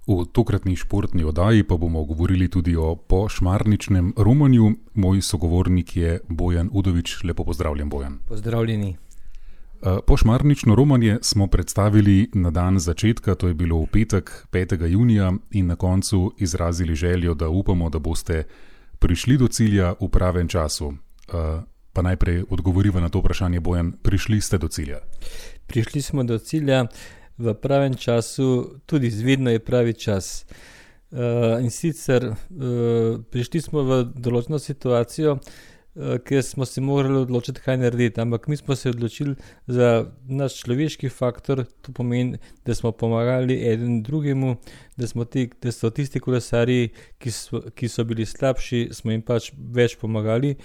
V tokratni športni oddaji pa bomo govorili tudi o pošmarničnem romanju. Moj sogovornik je Bojan Udovič. Lepo pozdravljen, Bojan. Pozdravljeni. Pošmarnično romanje smo predstavili na dan začetka, to je bilo v petek, 5. junija, in na koncu izrazili željo, da upamo, da boste prišli do cilja v pravem času. Pa najprej odgovoriva na to vprašanje, Bojan, prišli ste do cilja? Prišli smo do cilja v pravem času, tudi vedno je pravi čas. In sicer prišli smo v določeno situacijo, ker smo se morali odločiti, kaj narediti, ampak mi smo se odločili za naš človeški faktor, to pomeni, da smo pomagali eden drugemu, da so tisti kolesarji, ki so bili slabši, smo jim pač več pomagali.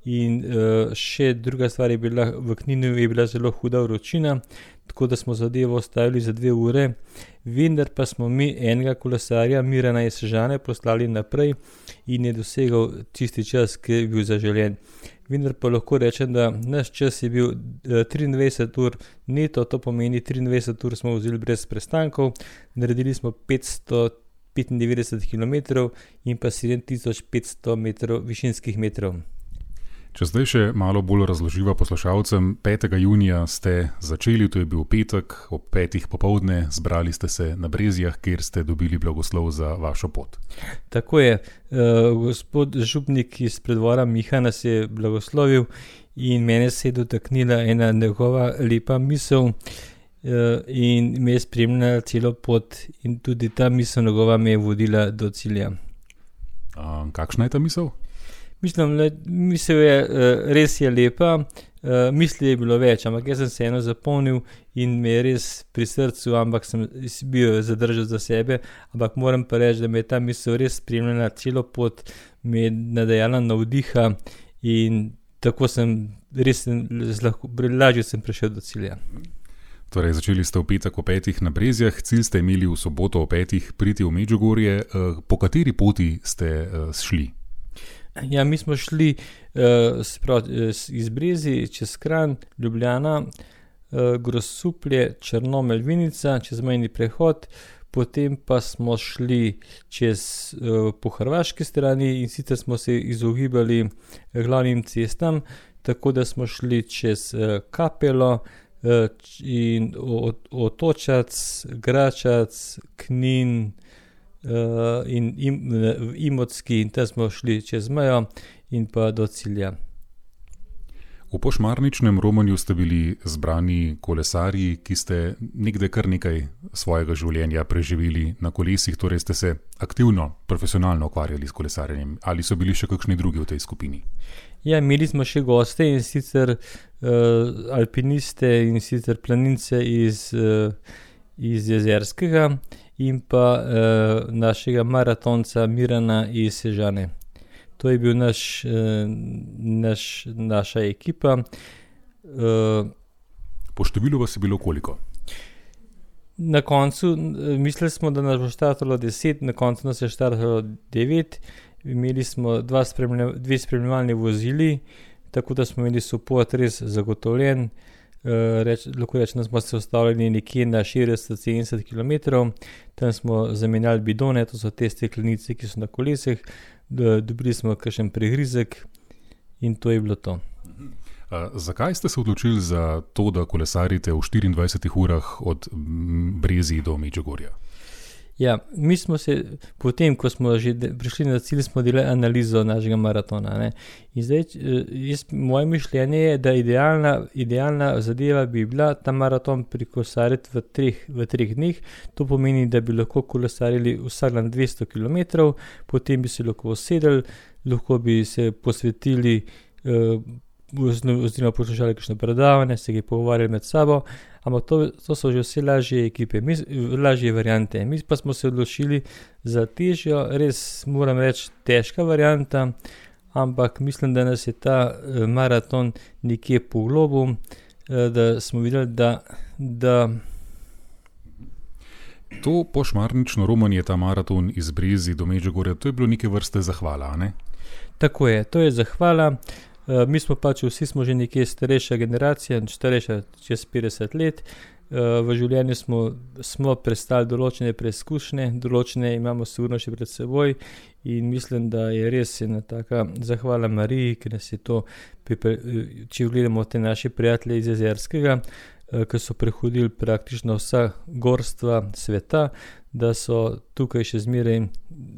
In še druga stvar je bila, v Kninu je bila zelo huda vročina, tako da smo zadevo ostavili za 2 ure, vendar pa smo mi enega kolesarja, Mirana iz Sežane, poslali naprej in je dosegal tisti čas, ki je bil zaželjen. Vendar pa lahko rečem, da naš čas je bil 23 ur neto, to pomeni 23 ur smo vzeli brez prestankov, naredili smo 595 km in pa 7500 metrov, višinskih metrov. Če zdaj še malo bolj razloživa poslušalcem, 5. junija ste začeli, to je bil petek, ob 5. popoldne, zbrali ste se na Brezjah, kjer ste dobili blagoslov za vašo pot. Tako je, gospod župnik iz predvora Miha nas je blagoslovil in mene se je dotaknila ena njegova lepa misel in me je spremljala celo pot in tudi ta misel njegova me je vodila do cilja. Kakšna je ta misel? Misel je, res je lepa, misli je bilo več, ampak jaz sem se eno zapomnil in me je res pri srcu, ampak sem bil zadržal za sebe, ampak moram pa reči, da me je ta misel res spremljala celo pot, me je nadejala navdiha in tako lažje sem prišel do cilja. Torej, začeli ste v petek o 5. na Brezjah, cilj ste imeli v soboto o 5. priti v Medžugorje. Po kateri poti ste šli? Ja, mi smo šli iz Brezij čez Kranj, Ljubljana, Grosuplje, Črnomelj, Vinica, čez mejni prehod, potem pa smo šli po hrvaški strani in sicer smo se izogibali glavnim cestam, tako da smo šli čez Kapelo in Otočac, Gračac, Knin, in Imotski in tam smo šli čez mejo in pa do cilja. V pošmarničnem romanju ste bili zbrani kolesarji, ki ste nekdaj kar nekaj svojega življenja preživeli na kolesih, torej ste se aktivno, profesionalno ukvarjali s kolesarjenjem. Ali so bili še kakšni drugi v tej skupini? Ja, imeli smo še goste in sicer alpiniste in sicer planince iz Jezerskega in pa našega maratonca Mirana iz Sežane. To je bil naša ekipa. Po številu vas je bilo koliko? Na koncu mislili smo, da nas bo štartalo 10, na koncu nas je štartalo 9. Imeli smo 2 spremljevalni vozili, tako da smo imeli support res zagotovljen. Lahko rečem, da smo se ustavljali nekje na 60-70 km, tam smo zamenjali bidone, to so te steklenice, ki so na kolesih, dobili smo kakšen prigrizek in to je bilo to. Zakaj ste se odločili za to, da kolesarite v 24 urah od Brezij do Medžugorja? Ja, mi smo se, potem, ko smo že prišli na cilj, smo delali analizo našega maratona, ne. In zdaj, moje mišljenje je, da idealna zadeva bi bila ta maraton prikolesariti v 3 dneh. To pomeni, da bi lahko kolesarili vsak dan 200 km, potem bi se lahko usedeli, lahko bi se posvetili oziroma poslušali kakšno predavanje, se pogovarjali med sabo, ampak to so že vse lažje variante. Mi pa smo se odločili za težjo, res moram reči težka varianta, ampak mislim, da nas je ta maraton nekje poglobil, da smo videli, da To pošmarnično romanje, ta maraton iz Brezij do Medžugorja, to je bilo neke vrste zahvala, ne? Tako je, to je zahvala. Mi smo vsi smo že nekje starejša generacija, starejša čez 50 let V življenju smo prestali določene preizkušnje, določene imamo sigurno še pred seboj in mislim, da je res ena taka zahvala Mariji, ki nas je to, če gledamo te naše prijatelje iz Jezerskega, ki so prehodili praktično vsa gorstva sveta, da so tukaj še zmeraj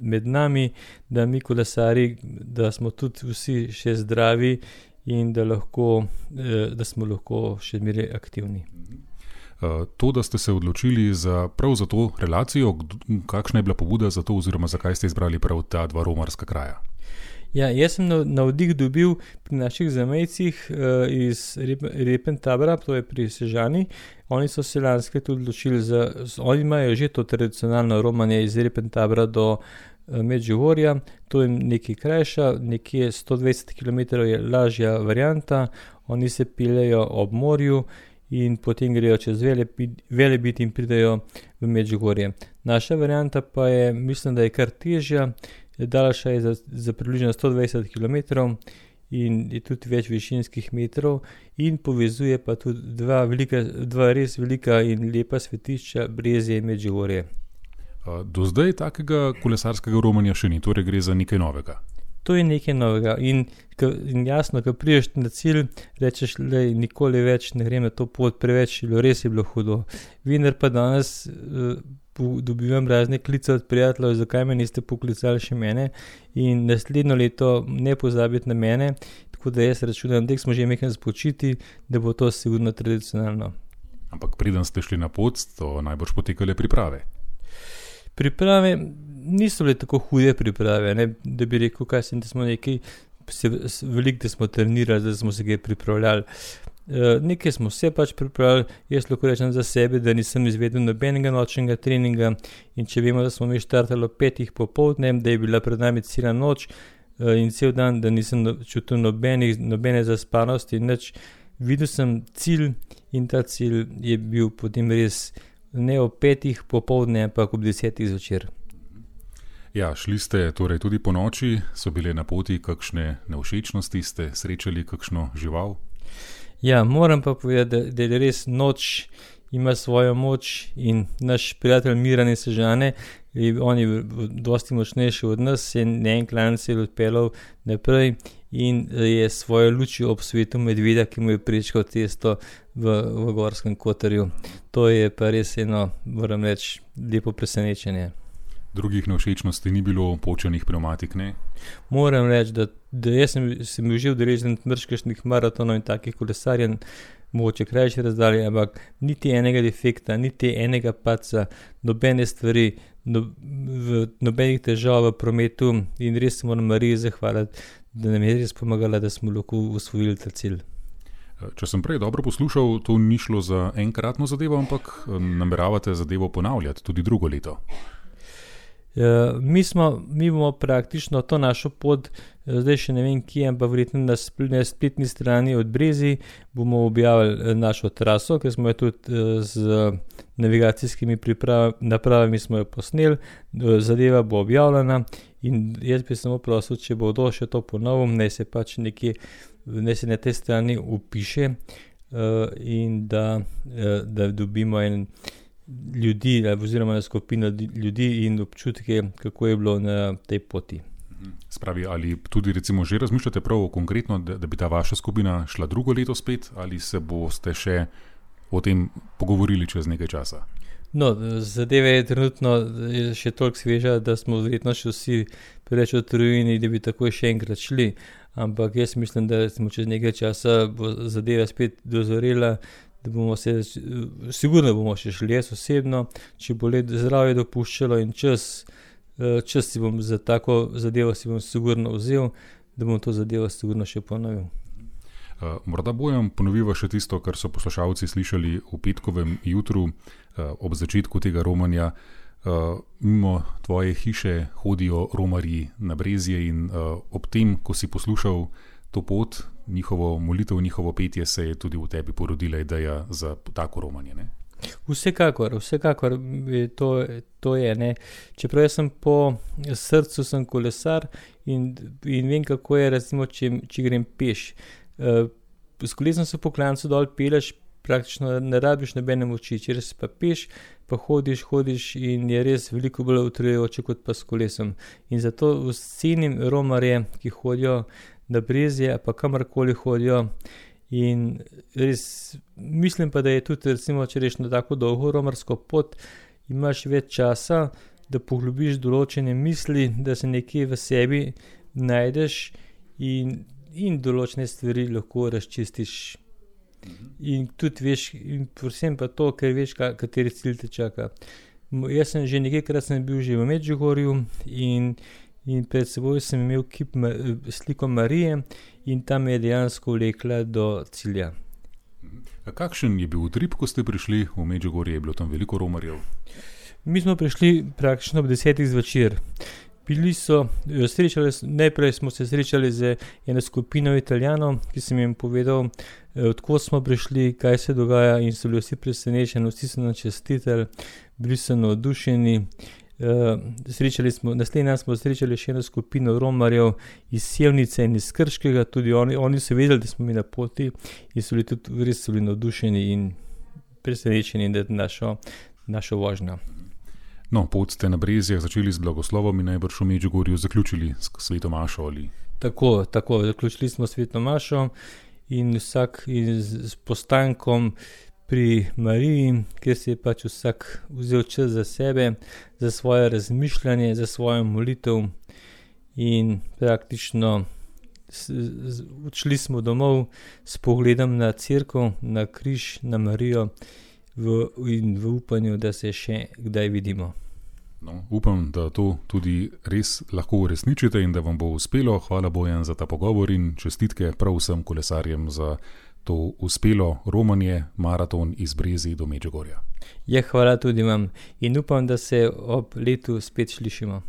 med nami, da mi kolesari, da smo tudi vsi še zdravi in da smo lahko še zmeraj aktivni. To, da ste se odločili prav za to relacijo, kakšna je bila pobuda za to oziroma zakaj ste izbrali prav ta dva romarska kraja? Ja, jaz sem navdih dobil pri naših zamejcih iz Repentabra, to je pri Sežani. Oni so se lansko tudi odločili oni imajo že to tradicionalno romanje iz Repentabra do Medžugorja, to je nekaj krajša, nekje 120 km je lažja varianta, oni se peljejo ob morju in potem grejo čez Velebit in pridejo v Medžugorje. Naša varianta pa je, mislim, da je kar težja, daljša je za približno 120 km in je tudi več višinskih metrov in povezuje pa tudi dva res velika in lepa svetišča, Brezje in Medžugorje. Do zdaj takega kolesarskega romanja še ni, torej gre za nekaj novega. To je nekaj novega in jasno, ko prideš na cilj, rečeš, da nikoli več ne grem na to pot, preveč res je bilo hudo. Vendar pa danes dobivam razne klice od prijateljev, zakaj me niste poklicali še mene in naslednjo leto ne pozabiti na mene, tako da jaz računam, da smo že nekaj spočiti, da bo to sigurno tradicionalno. Ampak preden ste šli na pot, so najbrž potekale priprave. Priprave niso bile tako hude priprave, ne? Da bi rekel, da smo veliko, da smo trenirali, da smo se kaj pripravljali. Nekaj smo se pač pripravljali, jaz lahko rečem za sebe, da nisem izvedel nobenega nočnega treninga in če vemo, da smo mi štartali 5 popoldne, da je bila pred nami cela noč in cel dan, da nisem čutil nobene zaspanosti, nič. Videl sem cilj in ta cilj je bil potem res ne ob 5 popoldne, ampak ob 10 zvečer. Ja, šli ste torej tudi po noči, so bile na poti kakšne nevšečnosti, ste srečali kakšno žival? Ja, moram pa povedati, da je res noč ima svojo moč in naš prijatelj Miran iz Sežane, on je dosti močnejši od nas, se en klanec je odpeljal naprej in je svojo lučjo ob svetu medveda, ki mu je prečkal cesto v Gorskem Kotarju. To je pa res eno, moram reči, lepo presenečenje. Drugih nevšečnosti ni bilo, počenih pneumatik, ne? Moram reči, da jaz sem bil že udeležen kakšnih maratonov in takih kolesarjev, mogoče krajše razdalje, ampak niti enega defekta, niti enega padca, nobene stvari, nobenih težav v prometu in res se moram Mariji zahvaliti, da nam je res pomagala, da smo lahko osvojili ta cilj. Če sem prej dobro poslušal, to ni šlo za enkratno zadevo, ampak nameravate zadevo ponavljati tudi drugo leto. Mi bomo praktično to našo pot, zdaj še ne vem kje, ampak verjetno na spletni strani od Brezij bomo objavili našo traso, ker smo jo tudi z navigacijskimi napravami smo jo posneli, zadeva bo objavljena in jaz bi samo prosil, če bo kdo še to ponovil, naj se na tej strani upiše in da dobimo ljudi oziroma na skupino ljudi in občutke, kako je bilo na tej poti. Spravi, ali tudi recimo že razmišljate prav konkretno, da bi ta vaša skupina šla drugo leto spet, ali se boste še o tem pogovorili čez nekaj časa? No, zadeva je trenutno še toliko sveža, da smo verjetno še vsi preveč utrujeni, da bi takoj še enkrat šli, ampak jaz mislim, da smo čez nekaj časa bo zadeva spet dozorela, da bomo sigurno bomo še šli jaz osebno, če bo zdravje dopuščalo in čas si bom za tako zadevo si bom sigurno vzel, da bom to zadevo sigurno še ponovil. Morda Bojan ponoviva še tisto, kar so poslušalci slišali v petkovem jutru ob začetku tega romanja. Mimo tvoje hiše hodijo romarji na Brezje in ob tem, ko si poslušal to pot, njihovo molitev, njihovo petje, se je tudi v tebi porodila ideja za tako romanje, ne? Vsekakor, to je, ne. Čeprav jaz sem po srcu sem kolesar in vem, kako je, recimo, če grem peš. S kolesom se po klancu dol peleš praktično ne rabiš nobene moči, če res pa peš, pa hodiš in je res veliko bolj utrujajoče kot pa s kolesom. In zato cenim romarje, ki hodijo na Brezje, pa kamorkoli hodijo. In res mislim pa, da je tudi, recimo, če reš na tako dolgo romarsko pot, imaš več časa, da poglobiš določene misli, da se nekje v sebi najdeš in določene stvari lahko razčistiš. In tudi veš, in predvsem pa to, ker veš, kateri cilj te čaka. Jaz sem že nekajkrat bil že v Medžugorju in pred seboj sem imel sliko Marije in tam je dejansko vlekla do cilja. A kakšen je bil utrip, ko ste prišli v Medžugorje? Je bilo tam veliko romarjev? Mi smo prišli praktično ob 10 zvečer. Najprej smo se srečali z eno skupino Italijanov, ki sem jim povedal, odkot smo prišli, kaj se dogaja, in so bili vsi presenečeni, vsi so nam čestitali, bili so navdušeni. Naslednji dan smo srečali še eno skupino romarjev iz Sevnice in iz Krškega, tudi oni so vedeli, da smo mi na poti in so bili tudi res navdušeni in presenečeni nad našo vožnjo. No, pot ste na Brezjah začeli z blagoslovom in najbrž v Medžugorju zaključili s sveto mašo ali? Tako, zaključili smo sveto mašo in vsak s postankom pri Mariji, kjer si je pač vsak vzel čas za sebe, za svoje razmišljanje, za svojo molitev in praktično odšli smo domov s pogledom na cerkev, na križ, na Marijo in v upanju, da se še kdaj vidimo. No, upam, da to tudi res lahko uresničite in da vam bo uspelo. Hvala Bojan za ta pogovor in čestitke prav vsem kolesarjem za to uspelo romanje, maraton iz Brezij do Medžugorja. Ja, hvala tudi vam in upam, da se ob letu spet slišimo.